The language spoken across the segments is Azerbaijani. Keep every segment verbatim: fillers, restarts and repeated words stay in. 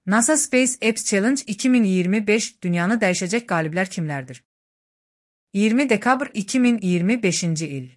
NASA Space Apps Challenge iki min iyirmi beş dünyanı dəyişəcək qaliblər kimlərdir? iyirmi dekabr iki min iyirmi beşinci il.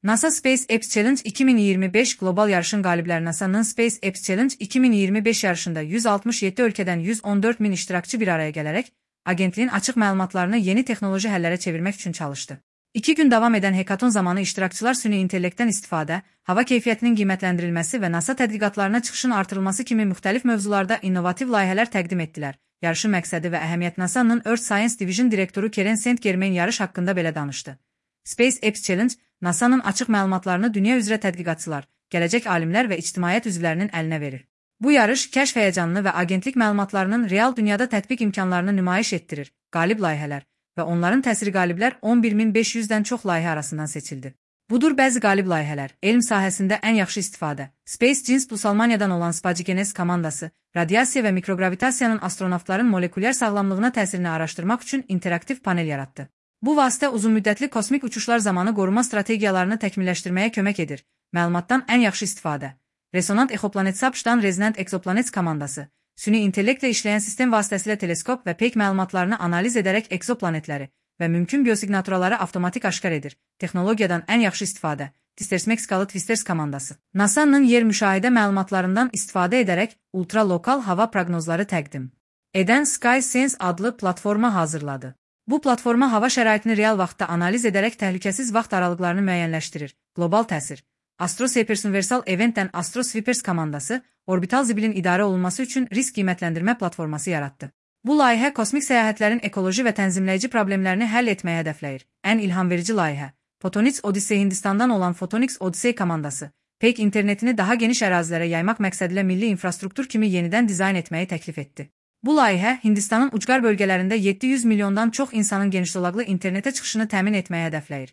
NASA Space Apps Challenge iki min iyirmi beş qlobal yarışın qalibləri NASA'nın Space Apps Challenge iki min iyirmi beş yarışında yüz altmış yeddi ölkədən yüz on dörd min iştirakçı bir araya gələrək, agentliyin açıq məlumatlarını yeni texnoloji həllərə çevirmək üçün çalışdı. İki gün davam edən hekaton zamanı iştirakçılar süni intellektdən istifadə, hava keyfiyyətinin qiymətləndirilməsi və NASA tədqiqatlarına çıxışın artırılması kimi müxtəlif mövzularda innovativ layihələr təqdim etdilər. Yarışın məqsədi və əhəmiyyət NASA'nın Earth Science Division direktoru Karen Saint-Germain yarış haqqında belə danışdı. Space Apps Challenge, NASA'nın açıq məlumatlarını dünya üzrə tədqiqatçılar, gələcək alimlər və ictimaiyyət üzvlərinin əlinə verir. Bu yarış kəşf həyəcanını və agentlik məlumatlarının real dünyada tətbiq imkanlarını nümayiş etdirir. Qalib layihələr və onların təsiri qaliblər on bir min beş yüzdən çox layihə arasından seçildi. Budur bəzi qalib layihələr: elm sahəsində ən yaxşı istifadə, Space Genes Plus Almaniyadan olan Spagenes komandası, radiasiya və mikrogravitasiyanın astronavtların molekulyar sağlamlığına təsirini araşdırmaq üçün interaktiv panel yaratdı. Bu vasitə uzunmüddətli kosmik uçuşlar zamanı qoruma strategiyalarını təkmilləşdirməyə kömək edir. Məlumatdan ən yaxşı istifadə, Resonant Exoplanetsapşdan Resonant Exoplanets komandası, süni intellektlə işləyən sistem vasitəsilə teleskop və peyk məlumatlarını analiz edərək egzoplanetləri və mümkün biosiqnaturaları avtomatik aşkar edir. Texnologiyadan ən yaxşı istifadə, Twisters Meksikalı Twisters komandası, NASA'nın yer müşahidə məlumatlarından istifadə edərək ultralokal hava proqnozları təqdim edən SkySense adlı platforma hazırladı. Bu platforma hava şəraitini real vaxtda analiz edərək təhlükəsiz vaxt aralıqlarını müəyyənləşdirir. Qlobal təsir, Astrosweepers Universal Event'dən Astrosweepers komandası, orbital zibilin idarə olunması üçün risk qiymətləndirmə platforması yaratdı. Bu layihə kosmik səyahətlərin ekoloji və tənzimləyici problemlərini həll etməyə hədəfləyir. Ən ilhamverici layihə, Photonics Odyssey Hindistandan olan Photonics Odyssey komandası, peyk internetini daha geniş ərazilərə yaymaq məqsədilə milli infrastruktur kimi yenidən dizayn etməyi təklif etdi. Bu layihə Hindistanın ucqar bölgələrində yeddi yüz milyondan çox insanın genişzolaqlı internetə çıxışını təmin etməyə hədəfləyir.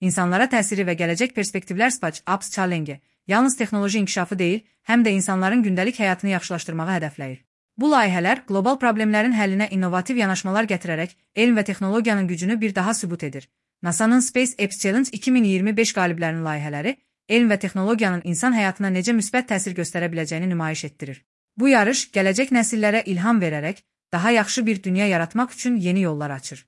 İnsanlara təsiri və gələcək perspektivlər Space Apps Challenge yalnız texnoloji inkişafı deyil, həm də insanların gündəlik həyatını yaxşılaşdırmağı hədəfləyir. Bu layihələr qlobal problemlərin həllinə innovativ yanaşmalar gətirərək elm və texnologiyanın gücünü bir daha sübut edir. NASA'nın Space Apps Challenge iki min iyirmi beş qaliblərinin layihələri elm və texnologiyanın insan həyatına necə müsbət təsir göstərə biləcəyini nümayiş etdirir. Bu yarış gələcək nəsillərə ilham verərək daha yaxşı bir dünya yaratmaq üçün yeni yollar açır.